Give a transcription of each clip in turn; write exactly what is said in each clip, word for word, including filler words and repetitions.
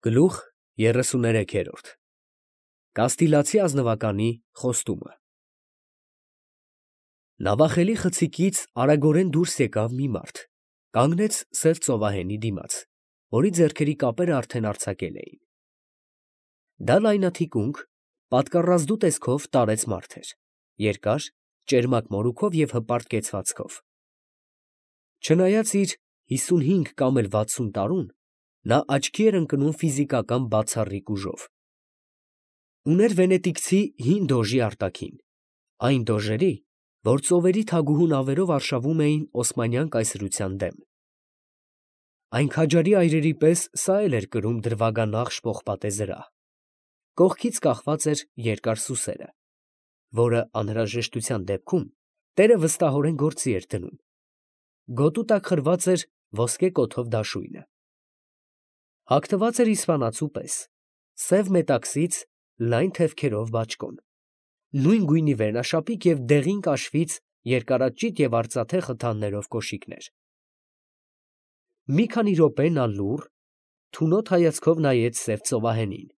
Գլուխ երեսուներեքերորդ Կաստիլացի ազնվականի խոստումը Նավախելի խցիկից արագորեն դուրս եկավ մի մարդ, կանգնեց սև ծովահենի դիմաց, որի ձեռքերի կապերը արդեն արձակել էին. դա լայնաթիկունք, պատկառազդու տեսքով տարեց մարդ էր, երկար, ճերմակ մորուքով և հպարտ կեցվածքով. չնայած իր հիսունհինգ կամ էլ վաթսուն տարուն, նա աչքի էր ընկնում ֆիզիկական բացառիկ ուժով. ուներ վենետիկցի հին դոժի արտաքին, այն դոժերի, որ ծովերի թագուհու նավերով արշավում էին օսմանյան կայսրության դեմ. այն քաջարի այրերի պես սա էլ էր կրում դրվագանախշ պողպատե զրահ, կողքից կախված էր երկար սուսերը, որը անհրաժեշտության դեպքում տերը վստահորեն գործի էր դնում, գոտու տակ խրված էր ոսկե կոթով դաշույնը. հագնված էր իսպանացու պես, սև մետաքսից լայն թևքերով բաճկոն, նույն գույնի վերնաշապիկ և դեղին կաշվից երկարաճիտ և արծաթե խթաններով կոշիկներ. մի քանի րոպե նա լուռ, թունոտ հայացքով նայեց սև ծովահենին,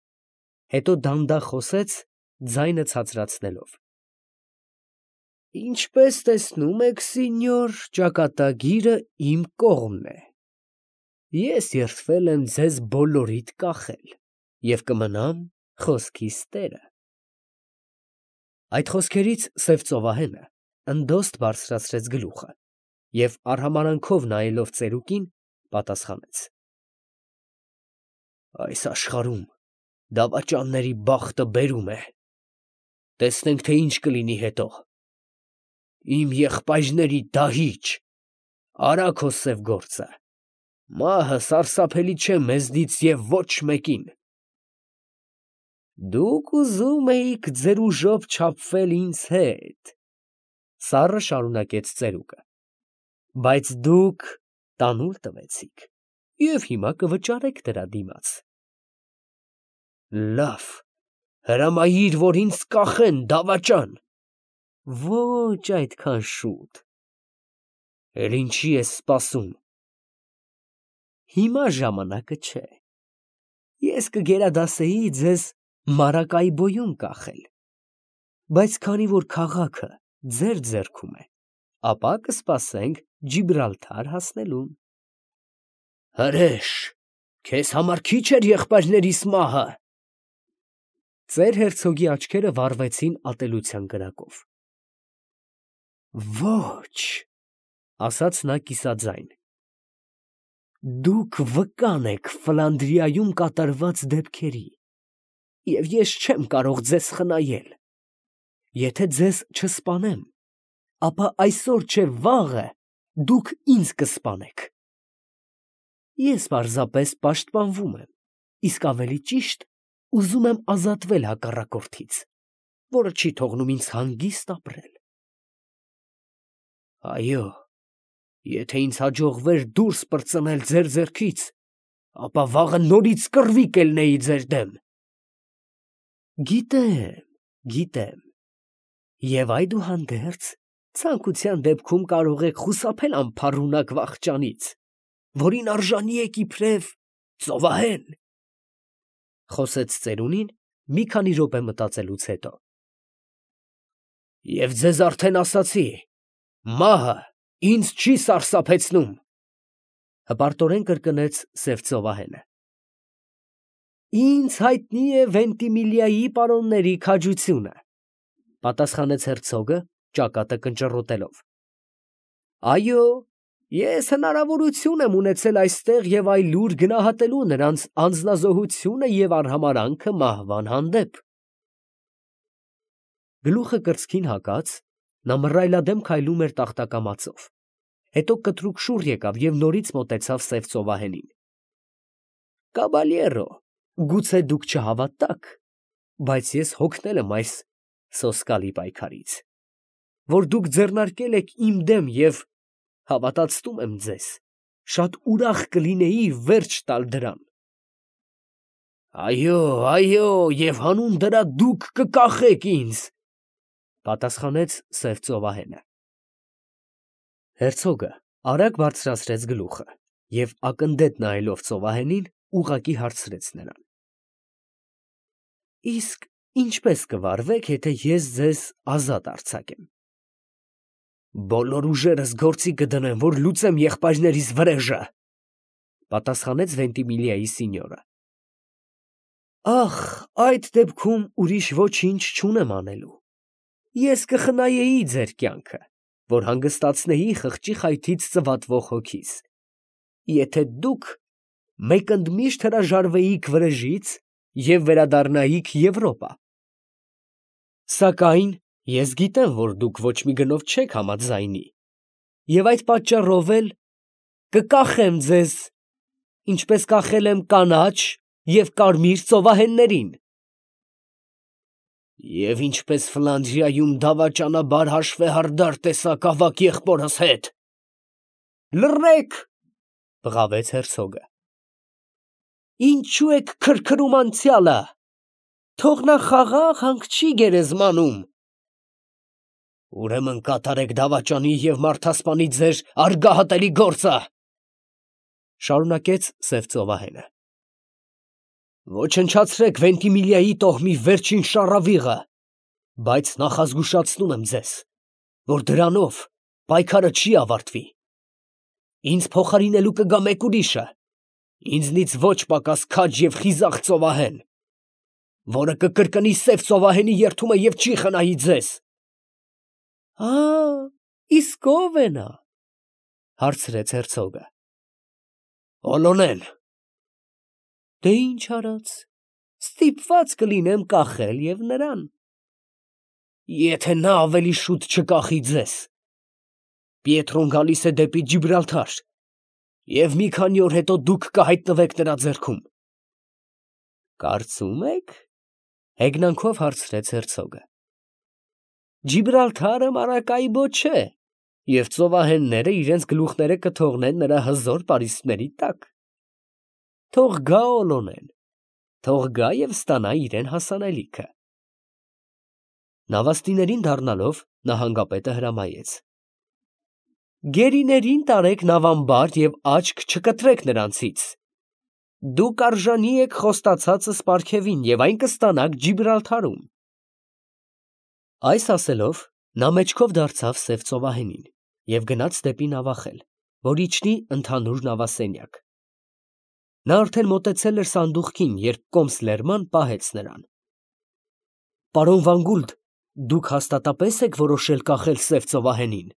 հետո դանդաղ խոսեց, ձայնը ցածրացնելով. Ինչպես տեսնում եք, սինյոր, ճակատագիրը իմ կողմն է. ես երդվել եմ ձեզ բոլորիդ կախել և կմնամ խոսքիս տերը։ Այդ խոսքերից սև ծովահենը ընդոստ բարձրացրեց գլուխը և արհամարհանքով նայելով ծերուկին, պատասխանեց. այս աշխարհում դավաճանների բախտը բերում է, տեսնենք, թե ինչ կլինի հետո։ Իմ եղբայրների դահիճ, արա քո սև գործը, մահը սարսափելի չէ մեզնից և ոչ մեկին։ Դուք ուզում էիք ձեր ուժով չափվել ինձ հետ, սառը շարունակեց ծերուկը, բայց դուք տանուլ տվեցիք և հիմա կվճարեք դրա դիմաց։ Լավ, հրամայիր, որ ինձ կախեն, դավաճան։ Ոչ այդքան շուտ։ Էլ ինչի ես սպասում։ Հիմա ժամանակը չէ։ Ես կգերադասեի ձեզ Մարակայբոյում կախել, բայց քանի որ քաղաքը ձեր ձեռքում է, ապա կսպասենք Ջիբրալթար հասնելուն։ Հրեշ, քեզ համար քիչ էր եղբայրներիս մահը։ Ծեր հերցոգի աչքերը վառվեցին ատելության կրակով։ Ոչ, ասաց նա կիսաձայն, դուք վկան եք Ֆլանդրիայում կատարված դեպքերի, և ես չեմ կարող ձեզ խնայել։ Եթե ձեզ չսպանեմ, ապա այսօր չէ վաղը դուք ինձ կսպանեք։ Ես պարզապես պաշտպանվում եմ, իսկ ավելի ճիշտ ուզում եմ ազատվել հակառակորդից, որը չի թողնում ինձ հանգիստ ապրել։ Այո, եթե ինձ հաջողվեր դուրս պրծնել ձեր ձեռքից, ապա վաղը նորից կռվի կելնեի ձեր դեմ։ Գիտեմ, գիտեմ, և այդուհանդերձ ցանկության դեպքում կարող եք խուսափել անփառունակ վախճանից, որին արժանի եք իբրև ծովահեն, խոսեց ծերունին մի քանի րոպե մտածելուց հետո։ Եվ ձեզ արդեն ասացի, մահը ինձ չի սարսափեցնում, հպարտորեն կրկնեց սև ծովահենը։ Ինձ հայտնի է Վենտիմիլիայի պարոնների քաջությունը, պատասխանեց հերցոգը, ճակատը կնճռոտելով։ Այո, ես հնարավորություն եմ ունեցել այստեղ և այլուր գնահատելու նրանց անձնազոհությունը և արհամարհանքը մահվան հանդեպ։ Գլուխը կրծքին հագած, նա մռայլադեմ քայլում էր տախտակամածով, հետո կտրուկ շուռ եկավ և նորից մոտեցավ սև ծովահենին։ Կաբալյերո, գուցե դուք չհավատաք, բայց ես հոգնել եմ այս սոսկալի պայքարից, որ դուք ձեռնարկել եք իմ դեմ և, հավատացնում եմ ձեզ, շատ ուրախ կլինեի վերջ տալ դրան։ Այո, այո, և հանուն դրա դուք կկախեք ինձ, պատասխանեց սև ծովահենը։ Հերցոգը արագ բարձրացրեց գլուխը և ակնդետ նայելով ծովահենին, ուղղակի հարցրեց նրան. Իսկ ինչպես կվարվեք, եթե ես ձեզ ազատ արձակեմ։ Բոլոր ուժերս գործի կդնեմ, որ լուծեմ եղբայրներիս վրեժը, պատասխանեց Վենտիմիլիայի սինյորը։ Ախ, այդ դեպքում ուրիշ ոչինչ չունեմ անելու։ Ես կխնայեի ձեր կյանքը, որ հանգստացնեի խղճի խայթից ծվատվող հոգիս, եթե դուք մեկընդմիշտ հրաժարվեիք վրեժից և վերադառնայիք Եվրոպա։ Սակայն ես գիտեմ, որ դուք ոչ մի գնով չեք համաձայնի, և այդ պատճառով էլ կկախեմ ձեզ, ինչպես կախել եմ կանաչ և կարմիր ծովահեններին։ Եվ ինչպես Ֆլանդրիայում դավաճանաբար հաշվեհարդար տեսաք ավագ եղբորս հետ։ Լռեք, բղավեց հերցոգը։ Ինչու եք քրքրում անցյալը, թող նա խաղաղ հանգչի գերեզմանում։ Ուրեմն կատարեք դավաճանի և մարդասպանի ձեր արգահատելի գործը, շարունակեց սև ծովահենը։ Ոչնչացրեք Վենտիմիլիայի տոհմի վերջին շառավիղը, բայց նախազգուշացնում եմ ձեզ, որ դրանով պայքարը չի ավարտվի։ Ինձ փոխարինելու կգա մեկ ուրիշը, ինձնից ոչ պակաս քաջ և խիզախ ծովահեն, որը կկրկնի սև ծովահենի երդումը և չի խնայի ձեզ։ Ա, իսկ ո՞վ է նա, հարցրեց հերցոգը։ Օլոնեն։ Դե ինչ արած, ստիպված կլինեմ կախել և նրան։ Եթե նա ավելի շուտ չկախի ձեզ, Պիետրոն գալիս է դեպի Ջիբրալթար, և մի քանի օր հետո դուք կհայտնվեք նրա ձեռքում։ Կարծում եք, հեգնանքով հարցրեց հերցոգը։ Ջիբրալթարը Մարակայբո չէ, և ծովահենները իրենց գլուխները կթողնեն նրա հզոր պարիսպների տակ։ Թող գա Օլոնեն, թող գա և ստանա իրեն հասանելիքը։ Նավաստիներին դառնալով նահանգապետը հրամայեց. Գերիներին տարեք նավամբար և աչք չկտրեք նրանցից։ Դուք արժանի եք խոստացածս պարգևին և այն կստանաք Ջիբրալթարում։ Այս ասելով, նա մեջքով դարձավ սև ծովահենին և գնաց դեպի նավախել, որ իջնի ընդհանուր նավասենյակ։ Նա արդեն մոտեցել էր սանդուղքին, երբ կոմս Լերման պահեց նրան։ Պարոն Վանգուլդ, դուք հաստատապես եք որոշել կախել սև ծովահենին,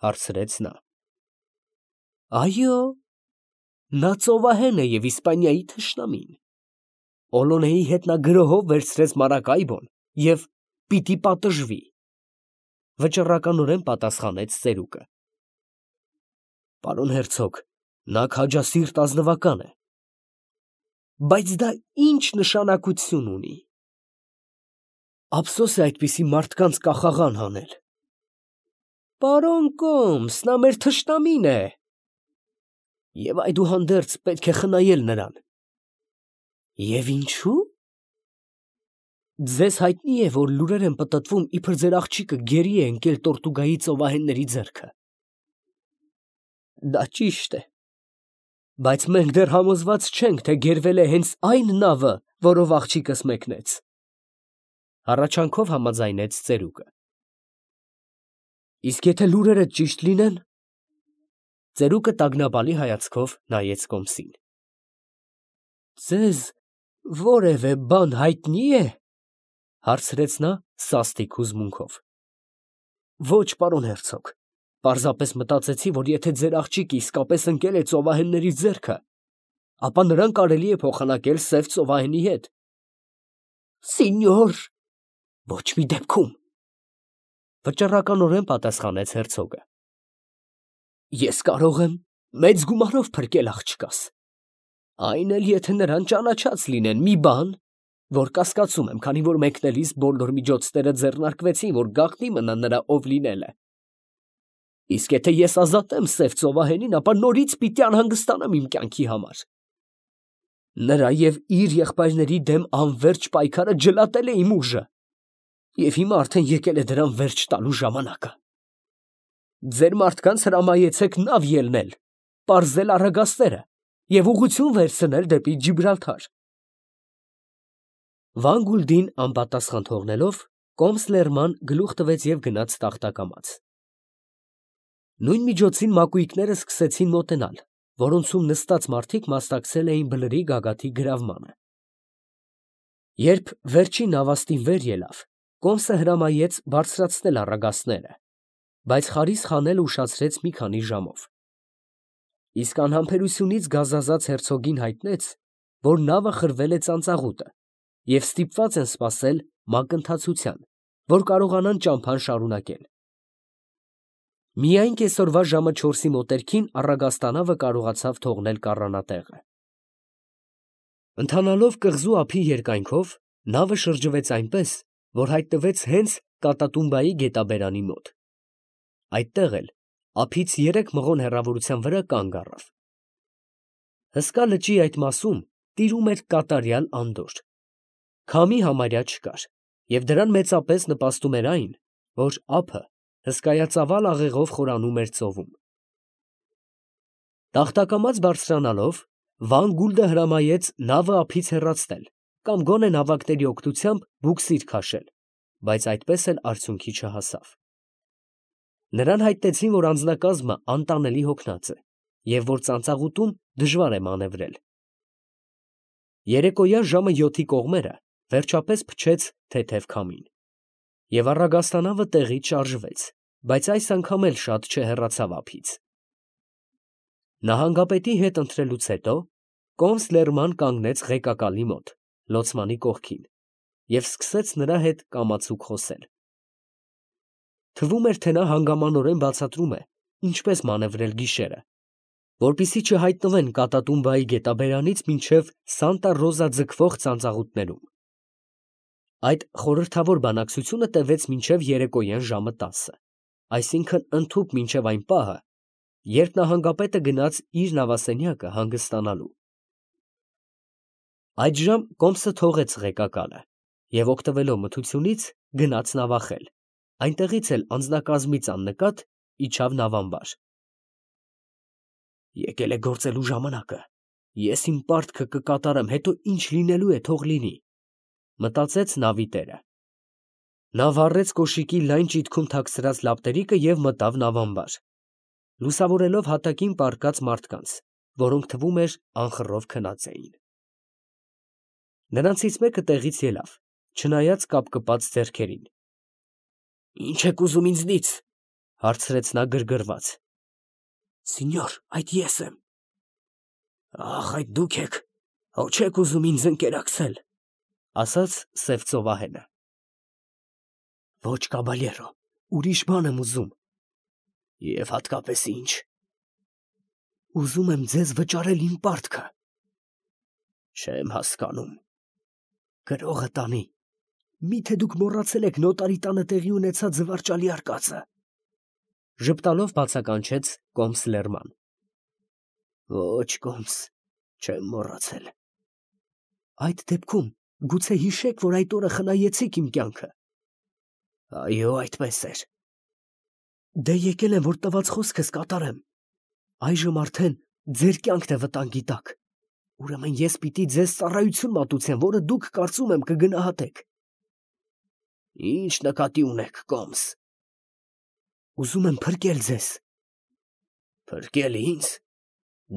հարցրեց նա։ Այո, նա ծովահեն է և Իսպանիայի թշնամին։ Օլոնեի հետ նա գրոհով վերցրեց Մարակայբոն և պիտի պատժվի, վճռականորեն պատասխանեց ծերուկը։ Պարոն հերցոգ, նա քաջասիրտ ազնվական է։ Բայց դա ինչ նշանակություն ունի։ Ափսոս է այդպիսի մարդկանց կախաղան հանել։ Պարոն Կոմս, նա մեր թշնամին է։ Եվ այդուհանդերձ պետք է խնայել նրան։ Եվ ինչու՞։ Ձեզ հայտնի է, որ լուրեր են պտտվում, իբր ձեր աղջիկը գերի է ընկել Տորտուգայի ծովահենների ձեռքը։ Դա ճիշտ է, բայց մենք դեռ համոզված չենք, թե գերվել է հենց այն նավը, որով աղջիկս մեկնեց, հառաչանքով համաձայնեց ծերուկը։ Իսկ եթե լուրերը ճիշտ լինեն։ Ծերուկը տագնապալի հայացքով նայեց կոմսին։ Ձեզ որևէ բան հայտնի է, հարցրեց նա սաստիկ հուզմունքով։ Ոչ, պարոն հերցոգ, պարզապես մտածեցի, որ եթե ձեր աղջիկը իսկապես ընկել է ծովահենների ձեռքը, ապա նրան կարելի է փոխանակել սև ծովահենի հետ։ Սինյոր, ոչ մի դեպքում, վճռականորեն պատասխանեց հերցոգը։ Ես կարող եմ մեծ գումարով փրկել աղջկաս, այն էլ եթե նրան ճանաչած լինեն մի բան, որ կասկածում եմ, քանի որ մեկնելիս բոլոր միջոցները ձեռնարկվեցին, որ գաղտնի մնա նրա ով լինելը։ Իսկ եթե ես ազատեմ սև ծովահենին, ապա նորից պիտի անհանգստանամ իմ կյանքի համար։ Նրա և իր եղբայրների դեմ անվերջ պայքարը ջլատել է իմ ուժը, և հիմա արդեն եկել է դրան վերջ տալու ժամանակը։ Ձեր մարդկանց հրամայեցեք նավ ելնել, պարզել առագաստերը և ուղղություն վերցնել դեպի Ջիբրալթար։ Վան Գուլդին անպատասխան թողնելով, կոմս լերման գլուխ տվեց և գնաց տախտակամաց։ Նույն միջոցին մակույկները սկսեցին մոտենալ, որոնցում նստած մարդիկ մասնակցել էին բլրի գագաթի գրավմանը։ Երբ վերջին նավաստին վեր ելավ, կոմսը հրամայեց բարձրացնել առագաստները, բայց խարիսխ հանելը ուշացրեց մի քանի ժամով։ Իսկ անհամբերությունից գազազած հերցոգին հայտնեց, որ նավը խրվել է ծանծաղուտը և ստիպված են սպասել մակընթացության, որ կարողանան ճամփան շարունակել։ Միայն կեսօրվա ժամը չորսի մոտերքին առագաստանավը կարողացավ թողնել կառանատեղը։ Ընթանալով կղզու ափի երկայնքով, նավը շրջվեց այնպես, որ հայտնվեց հենց Կատատումբայի գետաբերանի մոտ։ Այդտեղ էլ ափից երեք մղոն հեռավորության վրա կանգ առավ։ Հսկա լճի այդ մասում տիրում էր կատարյալ անդորր։ Քամի համարյա չկար, և դրան մեծապես նպաստում էր այն, որ ափը հսկայածավալ աղեղով խորանում էր ծովում։ Տախտակամաց բարձրանալով, Վան Գուլդը հրամայեց նավը ափից հեռացնել կամ գոնե նավակների օգնությամբ բուքսիր քաշել, բայց այդպես էլ արդյունքի չհասավ։ Նրան հայտնեցին, որ անձնակազմը անտանելի հոգնած է և որ ծանծաղուտում դժվար է մանևրել։ Երեկոյան ժամը յոթի կողմերը վերջապես փչեց թեթև քամին, և առագաստանավը տեղից շարժվեց, բայց այս անգամ էլ շատ չհեռացավ ափից։ Նահանգապետի հետ ընթրելուց հետո կոմս լերման կանգնեց ղեկակալի մոտ, լոցմանի կողքին, և սկսեց նրա հետ կամացուկ խոսել։ Թվում էր, թե նա հանգամանորեն բացատրում է, ինչպես մանևրել գիշերը, որպեսզի չհայտնվեն Կատատումբայի գետաբերանից մինչև Սանտա Ռոզա ձգվող ծանծաղուտներում։ Այդ խորհրդավոր բանակցությունը տևեց մինչև երեկոյան ժամը տասը, այսինքն ընդհուպ մինչև այն պահը, երբ նահանգապետը գնաց իր նավասենյակը հանգստանալու։ Այդժամ կոմսը թողեց ղեկակալը և, օգտվելով մթությունից, գնաց նավախել, այնտեղից էլ անձնակազմից աննկատ իջավ նավամբար։ Եկել է գործելու ժամանակը, ես իմ պարտքը կկատարեմ, հետո ինչ լինելու է, թող լինի, մտածեց նավի տերը։ Նա վառեց կոշիկի լայն ճիթքում թաքցրած լապտերիկը և մտավ նավամբար, լուսավորելով հատակին պառկած մարդկանց, որոնք թվում էր անխռով քնած էին։ Նրանցից մեկը տեղից ելավ, չնայած կապկպած ձեռքերին։ ֊ Ի՞նչ եք ուզում ինձնից, ֊ հարցրեց նա գրգռված։ ֊ Սինյոր, այդ ես եմ։ ֊ Ախ, այդ դուք եք, հո չեք ուզում ինձ ընկերակցել, ֊ ասաց սև ծովահենը։ ֊ Ոչ, կաբալյերո, ուրիշ բան եմ ուզում։ ֊ Եվ հատկապես ի՞նչ։ ֊ Ուզում եմ ձեզ վճարել իմ պարտքը։ ֊ Չեմ հասկանում։ ֊ Գրողը տանի, մի՞թե դուք մոռացել եք նոտարի տանը տեղի ունեցած զվարճալի արկածը, ֊ ժպտալով բացականչեց կոմս լերման։ ֊ Ոչ, կոմս, չեմ մոռացել։ ֊ Այդ դեպքում գուցե հիշեք, որ այդ օրը խնայեցիք իմ կյանքը։ ֊ Այո, այդպես էր։ ֊ Դե եկել եմ, որ տված խոսքս կատարեմ։ Այժմ արդեն ձեր կյանքն է վտանգի տակ, ուրեմն ես պիտի ձեզ ծառայություն մատուցեմ, որը դուք, կարծում եմ, կգնահատեք։ ֊ Ի՞նչ նկատի ունեք, կոմս։ ֊ Ուզում եմ փրկել ձեզ։ ֊ Փրկել ինձ։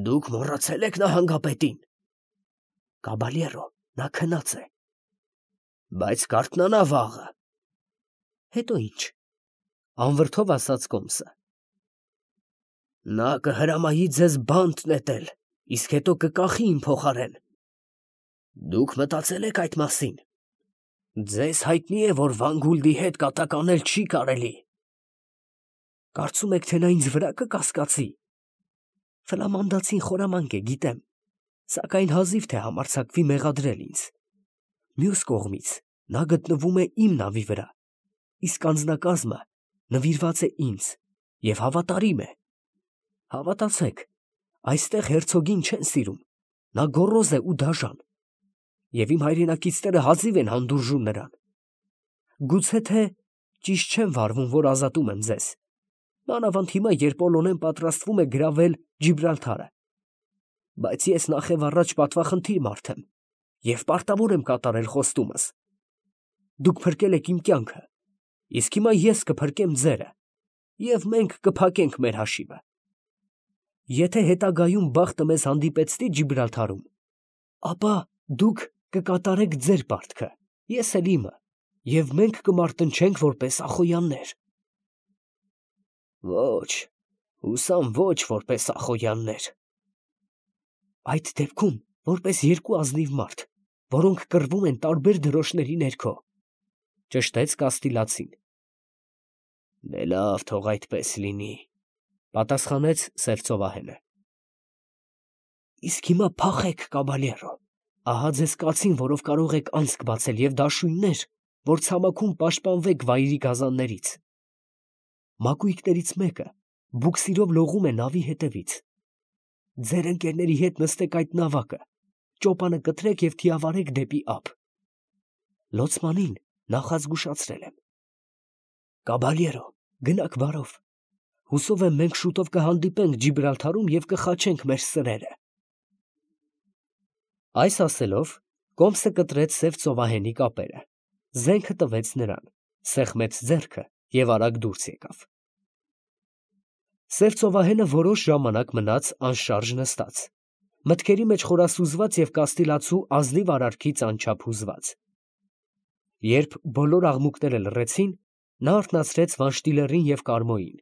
Դուք մոռացել եք նահանգապետին։ ֊ Կաբալյերո, նա քնած է։ ֊ Բայց կարթնանա վաղը։ ֊ Հետո ի՞նչ, ֊ անվրդով ասաց կոմսը։ ֊ Նա կհրամայի ձեզ բանտ նետել, իսկ հետո կկախի իմ փոխարեն։ Դուք մտածել եք այդ մասին։ Ձեզ հայտնի է, որ Վան Գուլդի հետ կատակ անել չի կարելի։ Կարծում եք, թե նա ինձ վրա կկասկածի։ Ֆլամանդացին խորամանկ է, գիտեմ, սակայն հազիվ թե համարձակվի մեղադրել ինձ։ Մյուս կողմից, նա գտնվում է իմ նավի վրա, իսկ անձնակազմը նվիրված է ինձ և հավատարիմ է։ Հավատացեք, այստեղ հերցոգին չեն սիրում, նա գոռոզ է ու դաժան, և իմ հայրենակիցները հազիվ են հանդուրժում նրան։ Գուցե թե ճիշտ չեմ վարվում, որ ազատում եմ ձեզ, մանավանդ հիմա, երբ Պոլոնեն պատրաստվում է գրավել Ջիբրալթարը։ բայց ես նախև առաջ պատվախնդիր մարդ եմ և պարտավոր եմ կատարել խոստումս. դուք փրկել եք իմ կյանքը, իսկ հիմա ես կփրկեմ ձերը, և մենք կփակենք մեր հաշիվը։ Եթե հետագայում բախտը մեզ հանդիպեցնի Ջիբրալթարում, ապա դուք կկատարեք ձեր պարտքը, ես էլ իմը, և մենք կմարտնչենք որպես ախոյաններ։ Ոչ, հուսամ ոչ որպես ախոյաններ։ Այդ դեպքում որպես երկու ազնիվ մարդ, որոնք կռվում են տարբեր դրոշների ներքո, ճշտեց Կաստիլացին։ Դե լավ, թող այդպես լինի, պատասխանեց սև ծովահենը։ Իսկ հիմա փախեք, կաբալյերո, ահա ձեզ կացին, որով կարող եք անցք բացել, և դաշույններ, որ ցամաքում պաշտպանվեք վայրի գազաններից։ Մակույկներից մեկը բուքսիրով լողում է նավի հետևից։ Ձեր ընկերների հետ նստեք այդ նավակը, ճոպանը կտրեք և թիավարեք դեպի ափ։ Լոցմանին նախազգուշացրել եմ։ Կաբալյերո, գնաք բարով։ Հուսով եմ մենք շուտով կհանդիպենք Ջիբրալթարում և կխաչենք մեր սրերը։ Այս ասելով, կոմսը կտրեց սև ծովահենի կապերը, զենքը տվեց նրան, սեղմեց ձեռքը և արագ դուրս եկավ։ Սև ծովահենը որոշ ժամանակ մնաց անշարժ նստած, մտքերի մեջ խորասուզված և Կաստիլացու ազնիվ արարքից անչափ հուզված։ Երբ բոլոր աղմուկները լռեցին, նա արթնացրեց Վանշտիլերին և Կարմոյին։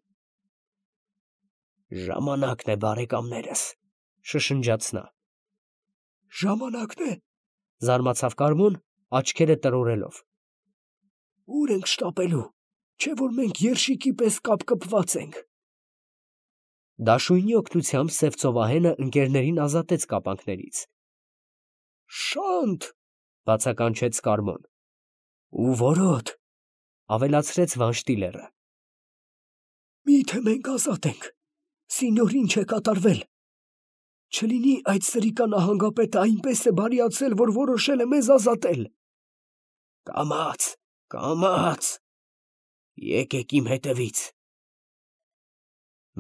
Ժամանակն է, բարեկամներս, շշնջաց նա։ Ժամանակն է, զարմացավ Կարմոն, աչքերը տրորելով։ Ուր ենք շտապելու, չէ որ մենք երշիկի պես կապկպված ենք։ Դաշույնի օգնությամբ սև ծովահենը ընկերներին ազատեց կապանքներից։ Շանթ, բացականչեց Կարմոն։ Ու որոտ, ավելացրեց Վանշտիլերը։ Միթե մենք ազատ ենք, սինյոր ինչ է կատարվել։ Չլինի այդ սրիկա նահանգապետը այնպես է բարիացել, որ որոշել է մեզ ազատել։ Կամաց, կամաց, եկեք իմ հետևից։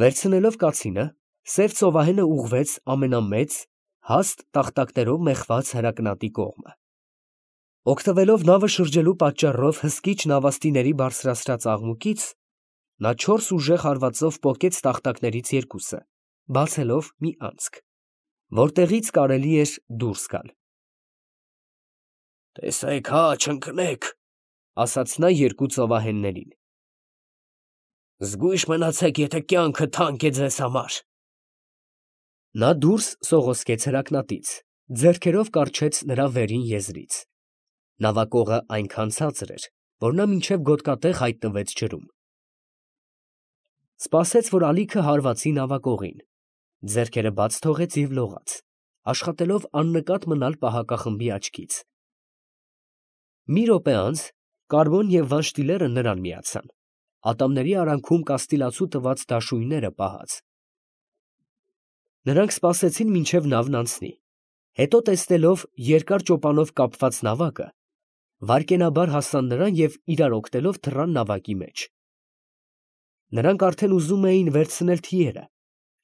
Վերցնելով կացինը, սև ծովահենը ուղղվեց ամենամեծ, հաստ տախտակներով մեխված հրակնատի կողմը։ Օգտվելով նավը շրջելու պատճառով հսկիչ նավաստիների բարձրացրած աղմուկից, նա չորս ուժեղ հարվածով պոկեց տախտակներից երկուսը, բացելով մի անցք, որտեղից կարելի էր դուրս գալ։ Տեսեք հա, չընկնեք, ասաց նա երկու ծովահեններին։ Զգույշ մնացեք, եթե կյանքը թանկ է ձեզ համար։ Նա դուրս սողոսկեց հրակնատից, ձեռքերով կառչեց նրա վերին եզրից։ Նավակողը այնքան ցածր էր, որ նա մինչև գոտկատեղ հայտնվեց ջրում։ Սպասեց, որ ալիքը հարվածի նավակողին, ձեռքերը բաց թողեց և լողաց, աշխատելով աննկատ մնալ պահակախմբի աչքից։ Մի րոպե անց Կարմոն և Վանշտիլերը նրան միացան, ատամների արանքում Կաստիլացու տված դաշույնները պահած։ Նրանք սպասեցին, մինչև նավն անցնի, հետո տեսնելով երկար ճոպանով կապված նավակը, վայրկենաբար հասան նրան և իրար օգնելով թռան նավակի մեջ։ Նրանք արդեն ուզում էին վերցնել թիերը,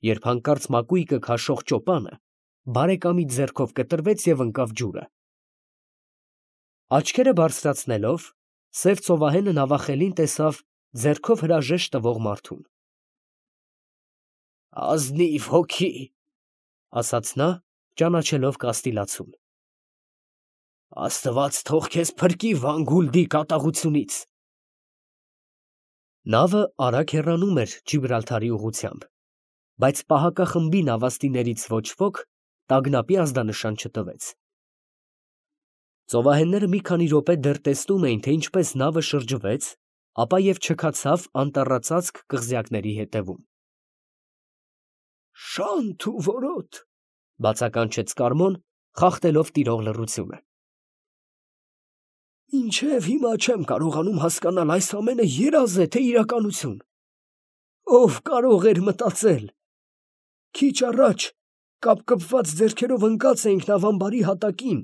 երբ հանկարծ մակույկը քաշող ճոպանը բարեկամի ձեռքով կտրվեց և ընկավ ջուրը։ Աչքերը բարձրացնելով, սև ծովահենը նավախելին տեսավ ձեռքով հրաժեշտ տվող մարդուն։ Ազնիվ հոգի, ասաց նա, ճանաչելով Կաստիլացուն։ Աստված թող քեզ փրկի Վանգուլդի կատաղությունից։ Նավը արագ հեռանում էր Ջիբրալթարի ուղղությամբ, բայց պահակախմբի նավաստիներից ոչ ոք տագնապի ազդանշան չտվեց։ Ծովահենները մի քանի րոպե դեռ տեսնում էին, թե ինչպես նավը շրջվեց, ապա և չքացավ անտառածածկ կղզյակների հետևում։ Շանթ ու որոտ, բացականչեց Կարմոն, խախտելով տիրող լռությունը։ Մինչև հիմա չեմ կարողանում հասկանալ այս ամենը երազ է, թե իրականություն։ Ով կարող էր մտածել։ Քիչ առաջ կապկպված ձեռքերով ընկած էինք նավամբարի հատակին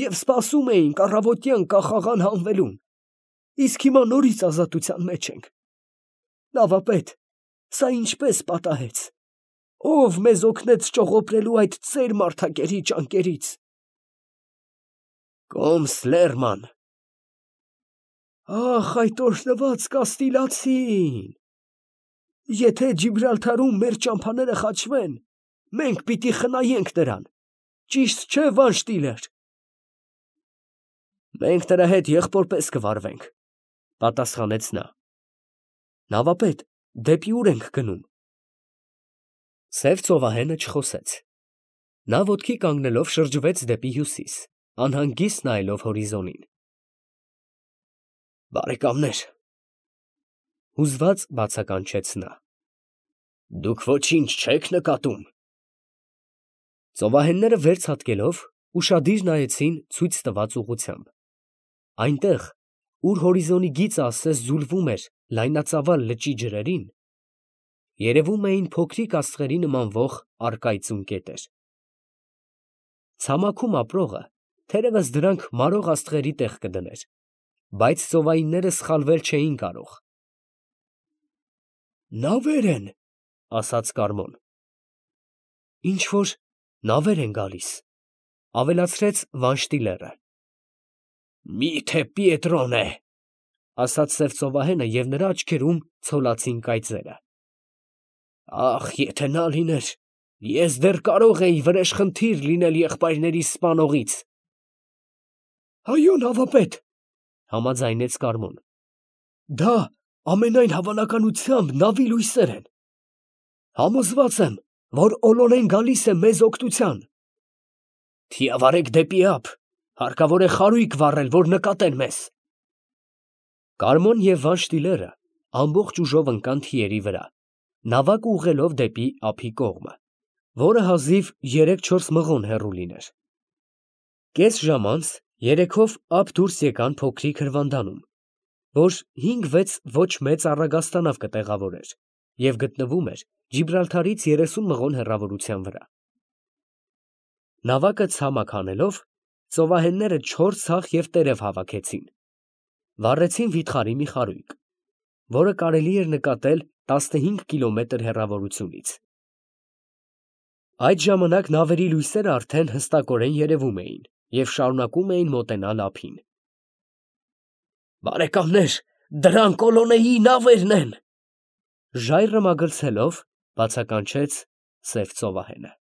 և սպասում էինք առավոտյան կախաղան հանվելուն, իսկ հիմա նորից ազատության մեջ ենք։ Նավապետ, սա ինչպես պատահեց։ Ո՞վ մեզ օգնեց ճողոպրելու այդ ծեր մարդակերի ճանկերից։ Կոմս լերման։ Ախ, այդ օրհնված Կաստիլացին։ Եթե Ջիբրալթարում մեր ճամփաները խաչվեն, մենք պիտի խնայենք նրան, ճիշտ չէ, Վանշտիլեր։ Մենք նրա հետ եղբորպես կվարվենք, պատասխանեց նա։ Նավապետ, դեպի ուր ենք գնում։ Սև ծովահենը չխոսեց։ Նա ոտքի կանգնելով շրջվեց դեպի հյուսիս, անհանգիստ նայելով հորիզոնին։ Բարեկամներ, հուզված բացականչեց նա։ Դուք ոչինչ չեք նկատում։ Ծովահենները վեր ցատկելով ուշադիր նայեցին ցույց տված ուղղությամբ։ Այնտեղ, ուր հորիզոնի գիծը ասես զուլվում էր լայնածավալ լճի ջրերին, երևում էին փոքրիկ աստղերի նմանվող առկայծուն կետեր։ Ցամաքում ապրողը թերևս դրանք մարող աստղերի տեղ կդներ, բայց ծովայինները սխալվել չէին կարող։ Նավեր են, ասաց Կարմոն։ Ինչ որ նավեր են գալիս, ավելացրեց Վանշտիլերը։ Միթե Պիետրոն է, ասաց սև ծովահենը, և նրա աչքերում ցոլացին կայծերը։ Ախ, եթե նա լիներ, ես դեռ կարող էի վրեժխնդիր լինել եղբայրներիս սպանողից։ Այո, նավապետ, համաձայնեց Կարմոն։ Դա ամենայն հավանականությամբ նավի լույսեր են։ Համոզված եմ, որ Օլոնեն գալիս է մեզ օգնության։ Թիավարեք դեպի ափ, հարկավոր է խարույկ վառել, որ նկատեն մեզ։ Կարմոն և Վանշտիլերը ամբողջ ուժով ընկան թիերի վրա, նավակ ուղղելով դեպի ափի կողմը, որը հազիվ երեք֊չորս մղոն հեռու լիներ։ Կես ժամ անց երեքով ափ դուրս եկան փոքրիկ հրվանդանում, որ հինգ֊վեց ոչ մեծ առագաստանավ կտեղավորեր և գտնվում էր Ջիբրալթարից երեսուն մղոն հեռավորության վրա։ Նավակը ցամաք հանելով, ծովահենները չոր ցախ և տերև հավաքեցին, վառեցին վիթխարի մի խարույկ, որը կարելի էր նկատել տասնհինգ կիլոմետր հեռավորությունից։ Այդ ժամանակ նավերի լույսերը արդեն հստակորեն երևում էին և շարունակում էին մոտենալ ափին։ Բարեկամներ, դրանք Օլոնեի նավերն են, ժայռը մագլցելով բացականչեց սև ծովահենը։